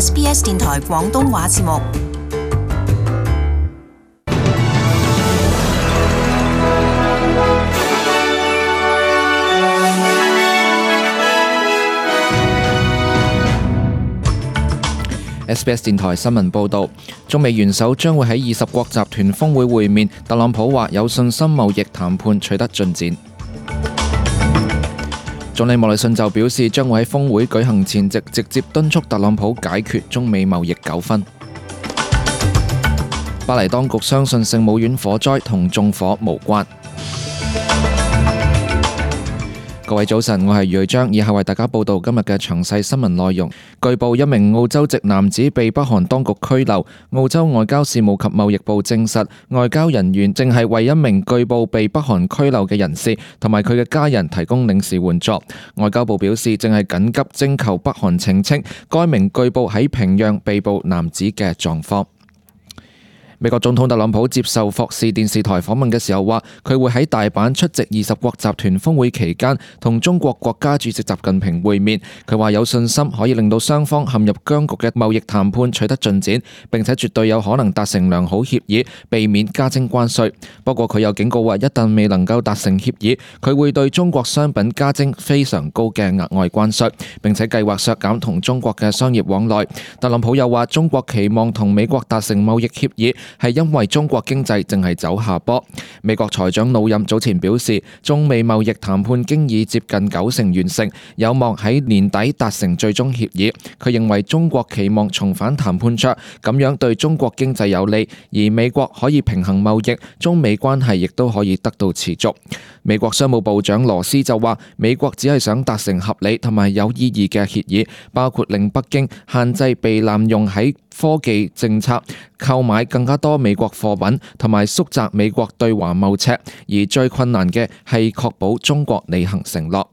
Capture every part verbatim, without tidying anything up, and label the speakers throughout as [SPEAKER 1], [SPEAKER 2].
[SPEAKER 1] S B S 電台廣東話節目。
[SPEAKER 2] S B S 電台新聞報導，中美元首將會喺二十國集團峰會會面。特朗普話有信心貿易談判取得進展。總理莫里遜就表示，將會喺峰會舉行前夕直接敦促特朗普解決中美貿易糾紛。巴黎當局相信聖母院火災同縱火無關。各位早晨，我係余瑞章，以下為大家報道今日嘅詳細新聞內容。據報，一名澳洲籍男子被北韓當局拘留。澳洲外交事務及貿易部證實，外交人員正係為一名據報被北韓拘留嘅人士同埋佢嘅家人提供領事援助。外交部表示，正係緊急徵求北韓澄清該名據報喺平壤被捕男子嘅狀況。美國總統特朗普接受霍士電視台訪問嘅時候話，佢會喺大阪出席二十國集團峰會期間同中國國家主席習近平會面。佢話有信心可以令到雙方陷入僵局嘅貿易談判取得進展，並且絕對有可能達成良好協議，避免加徵關稅。不過佢又警告話，一旦未能夠達成協議，佢會對中國商品加徵非常高嘅額外關稅，並且計劃削減同中國嘅商業往來。特朗普又話，中國期望同美國達成貿易協議係因為中國經濟正係走下坡。美國財長魯任早前表示，中美貿易談判經已接近九成完成，有望喺年底達成最終協議。佢認為中國期望重返談判桌，咁樣對中國經濟有利，而美國可以平衡貿易，中美關係亦都可以得到持續。美國商務部長羅斯就話，美國只係想達成合理同埋有意義嘅協議，包括令北京限制被濫用喺科技政策，購買更加多美國貨品，同埋縮窄美國對華貿赤，而最困難嘅係確保中國履行承諾。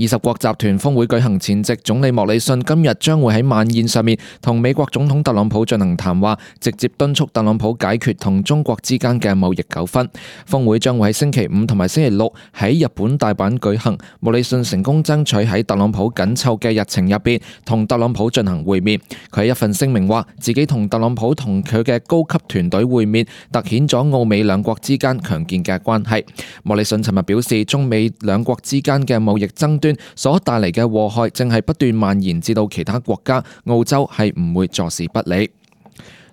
[SPEAKER 2] 二十國集團峰會舉行前夕，總理莫里遜今日將會喺晚宴上面同美國總統特朗普進行談話，直接敦促特朗普解決同中國之間嘅貿易糾紛。峰會將會喺星期五同埋星期六喺日本大阪舉行。莫里遜成功爭取喺特朗普緊湊嘅日程入邊同特朗普進行會面。佢喺一份聲明話，自己同特朗普同佢嘅高級團隊會面，凸顯咗澳美兩國之間強健嘅關係。莫里遜尋日表示，中美兩國之間嘅貿易爭端所帶嚟嘅禍害正係不斷蔓延至到其他國家，澳洲係唔會坐視不理。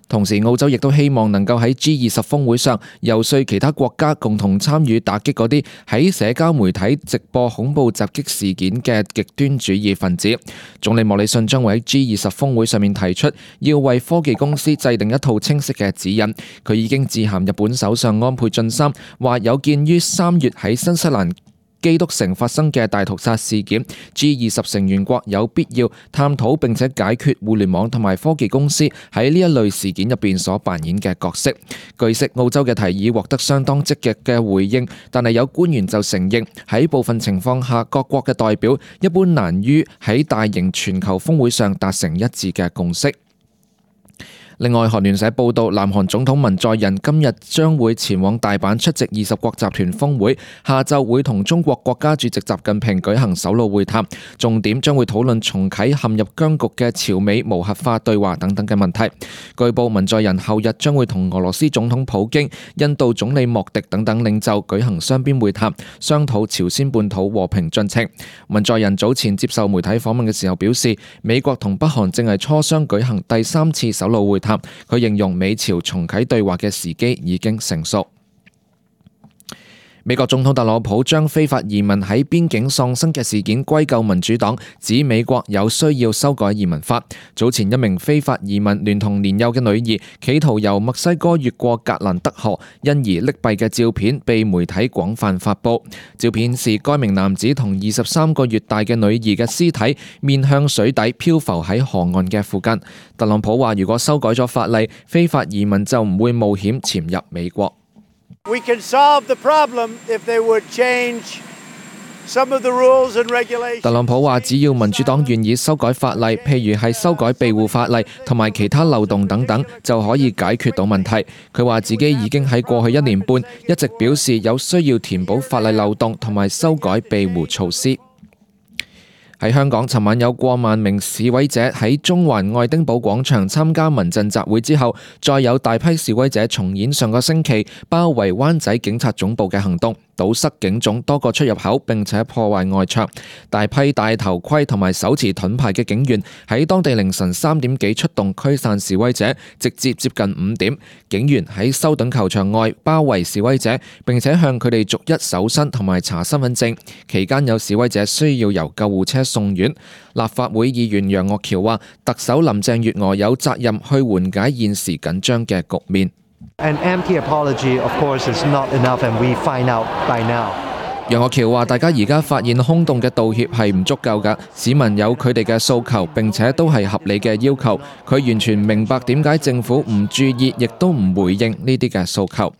[SPEAKER 2] 同時，澳洲亦都希望能夠喺 G 二十峰會上遊說其他國家共同參與打擊嗰啲喺社交媒體直播恐怖襲擊事件嘅極端主義分子。總理莫里遜將會喺 G 二十峰會上面提出，要為科技公司制定一套清晰嘅指引。佢已經致函日本首相安倍晉三，話有鑑於三月喺新西蘭基督城發生嘅大屠殺事件 ，G 二十成員國有必要探討並且解決互聯網同埋科技公司喺呢一類事件入邊所扮演嘅角色。據悉，澳洲嘅提議獲得相當積極嘅回應，但係有官員就承認喺部分情況下，各國嘅代表一般難於喺大型全球峰會上達成一致嘅共識。另外，韓聯社報道，南韓總統文在寅今日將會前往大阪出席二十國集團峰會，下晝會同中國國家主席習近平舉行首腦會談，重點將會討論重啟陷入僵局嘅朝美無核化對話等等嘅問題。據報，文在寅後日將會同俄羅斯總統普京、印度總理莫迪等等領袖舉行雙邊會談，商討朝鮮半島和平進程。文在寅早前接受媒體訪問嘅時候表示，美國同北韓正係磋商舉行第三次首腦會談。佢形容美朝重啟對話嘅時機已經成熟。美國總統特朗普將非法移民喺邊境喪生嘅事件歸咎民主黨，指美國有需要修改移民法。早前一名非法移民聯同年幼嘅女兒，企圖由墨西哥越過格蘭德河，因而溺斃嘅照片被媒體廣泛發布。照片是該名男子同二十三個月大嘅女兒嘅屍體面向水底漂浮喺河岸嘅附近。特朗普話，如果修改咗法例，非法移民就唔會冒險潛入美國。
[SPEAKER 3] We can solve the problem if they would change some of the rules and regulations.
[SPEAKER 2] 特朗普話，只要民主黨願意修改法例，譬如係修改庇護法例同埋其他漏洞等等，就可以解決到問題。佢話自己已經喺過去一年半一直表示有需要填補法例漏洞同埋修改庇護措施。喺香港，尋晚有過萬名示威者喺中環愛丁堡廣場參加民陣集會之後，再有大批示威者重演上個星期包圍灣仔警察總部嘅行動，堵塞警總多個出入口，並且破壞外牆。大批戴頭盔同埋手持盾牌嘅警員喺當地凌晨三點幾出動驅散示威者，直至接近五點，警員喺修頓球場外包圍示威者，並且向佢哋逐一搜身同埋查身份證。期間有示威者需要由救護車送院。立法會議員楊岳橋話，特首林鄭月娥有責任去緩解現時緊張嘅局面。
[SPEAKER 4] An empty apology, of course, is not enough, and we find out by now.
[SPEAKER 2] 楊岳橋話，大家而家發現空洞嘅道歉係唔足夠㗎，市民有佢哋嘅訴求，並且都係合理嘅要求。佢完全明白點解政府唔注意，亦都唔回應呢啲嘅訴求。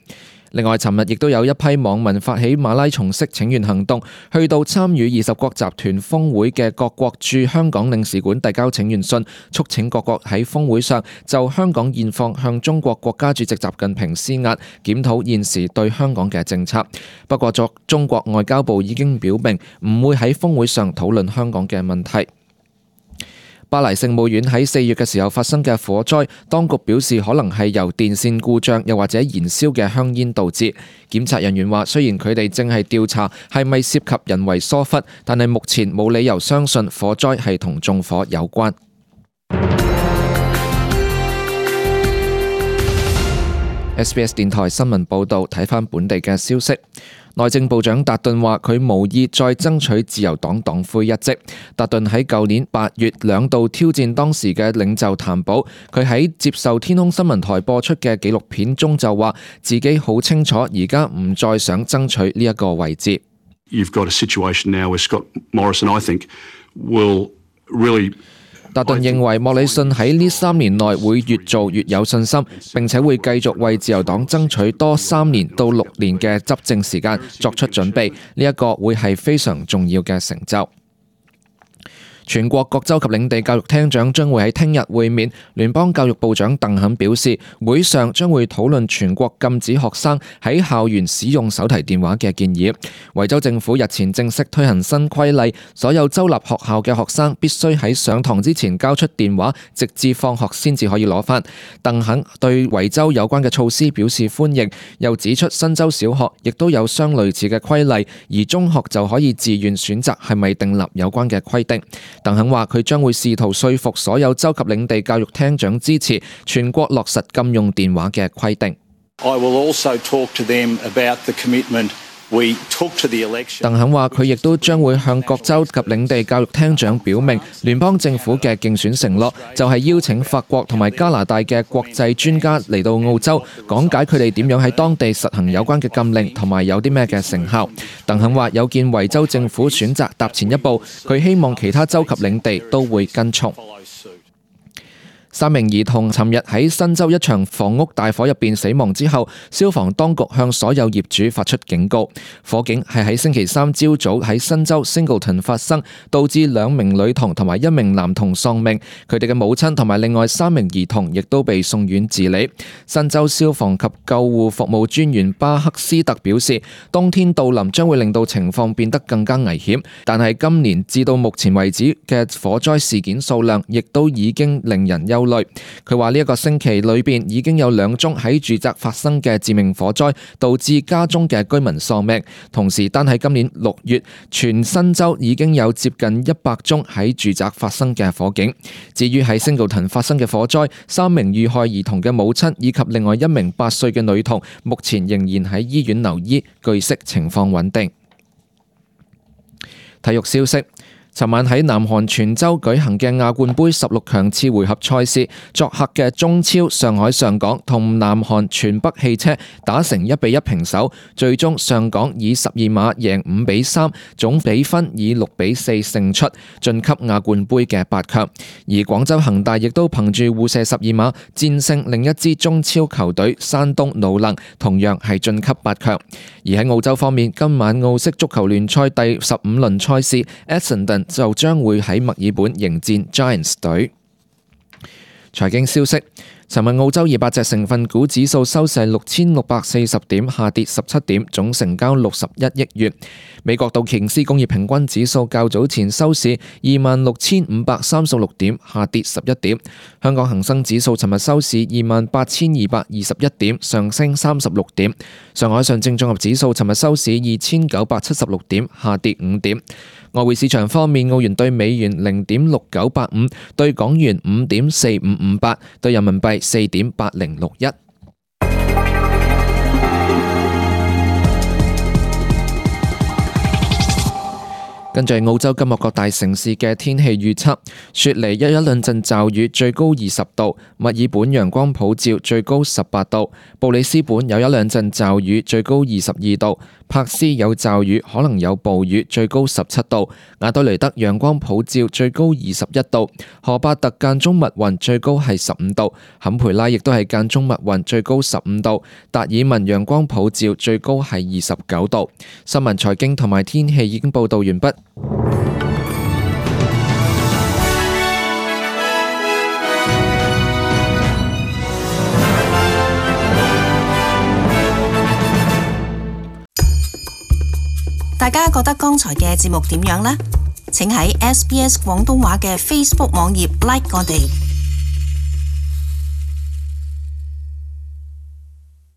[SPEAKER 2] 另外，尋日亦都有一批網民發起馬拉松式請願行動，去到參與二十國集團峰會嘅各國駐香港領事館遞交請願信，促請各國喺峰會上就香港現況向中國國家主席習近平施壓，檢討現時對香港嘅政策。不過，作中國外交部已經表明唔會喺峰會上討論香港嘅問題。巴黎聖母院喺四月嘅時候發生嘅火災，當局表示可能係由電線故障又或者燃燒嘅香煙導致。檢察人員話，雖然佢哋正係調查係咪涉及人為疏忽，但係目前冇理由相信火災係同縱火有關。S B S 電台新聞報導，睇返本地嘅消息。內政部長達頓話，佢無意再爭取自由黨黨魁一職。達頓喺舊年八月兩度挑戰當時嘅領袖譚寶，佢喺接受天空新聞台播出嘅紀錄片中就話，自己好清楚而家唔再想爭取呢一個位置。
[SPEAKER 5] You've got a situation now where Scott Morrison, I think, will really
[SPEAKER 2] 達頓認為莫里遜喺呢三年內會越做越有信心，並且會繼續為自由黨爭取多三年到六年嘅執政時間作出準備，呢一個會係非常重要嘅成就。全國各州及領地教育廳長將會喺聽日會面。聯邦教育部長鄧肯表示，會上將會討論全國禁止學生喺校園使用手提電話嘅建議。維州政府日前正式推行新規例，所有州立學校嘅學生必須喺上堂之前交出電話，直至放學先至可以攞返。鄧肯對維州有關嘅措施表示歡迎，又指出新州小學亦都有相類似嘅規例，而中學就可以自願選擇係咪訂立有關嘅規定。鄧肯話佢將會試圖說服所有州及領地教育廳長支持全國落實禁用電話嘅規定。
[SPEAKER 6] I will also talk to them about the commitment we took to the election.
[SPEAKER 2] 鄧肯話佢亦都將會向各州及領地教育廳長表明，聯邦政府嘅競選承諾就係邀請法國同埋加拿大嘅國際專家嚟到澳洲，講解佢哋點樣喺當地實行有關嘅禁令同埋有啲咩嘅成效。鄧肯話有見維州政府選擇踏前一步，佢希望其他州及領地都會跟從。三名兒童尋日喺新州一場房屋大火入邊死亡之後，消防當局向所有業主發出警告。火警係喺星期三朝早喺新州 Singleton 發生，導致兩名女童同埋一名男童喪命，佢哋嘅母親同埋另外三名兒童亦都被送院治理。新州消防及救護服務專員巴克斯特表示，冬天到臨將會令到情況變得更加危險，但係今年至到目前為止嘅火災事件數量亦都已經令人憂慮。佢話呢一個星期裏邊已經有兩宗喺住宅發生嘅致命火災，導致家中嘅居民喪命。同時，單喺今年六月，全新州已經有接近一百宗喺住宅發生嘅火警。至於喺 Singleton 發生嘅火災，三名遇害兒童嘅母親以及另外一名八歲嘅女童，目前仍然喺醫院留醫，據悉情況穩定。體育消息。尋晚喺南韓全州舉行嘅亞冠杯十六強次回合賽事，作客嘅中超上海上港同南韓全北汽車打成一比一平手，最終上港以十二碼贏五比三，總比分以六比四勝出，晉級亞冠杯嘅八強。而廣州恒大亦都憑住互射十二碼戰勝另一支中超球隊山東魯能，同樣係晉級八強。而喺澳洲方面，今晚澳式足球聯賽第十五輪賽事 Essendon 就將會喺墨爾本迎戰 Giants 隊。財經消息，尋日澳洲二百隻成分股指數收市六千六百四十點，下跌十七點，總成交六十一億元。美國道瓊斯工業平均指數較早前收市二萬六千五百三十六點，下跌十一點。香港恒生指數尋日收市二萬八千二百二十一點，上升三十六點。上海上證綜合指數尋日收市二千九百七十六點，下跌五點。外匯市場方面，澳元對美元零點六九八五，對港元五點四五五八，對人民幣四點八零六一。跟住澳洲今日各大城市嘅天氣預測：雪梨有一兩陣驟雨，最高二十度；墨爾本陽光普照，最高十八度；布里斯本有一兩陣驟雨，最高二十二度；珀斯有驟雨，可能有暴雨，最高十七度；亞德雷德陽光普照，最高二十一度；荷巴特間中密雲，最高係十五度；坎培拉亦都係間中密雲，最高十五度；達爾文陽光普照，最高係二十九度。新聞、財經同埋天氣已經報道完畢。
[SPEAKER 1] 大家覺得剛才嘅節目點樣呢？請喺 S B S 廣東話嘅 Facebook 網頁 like 我哋。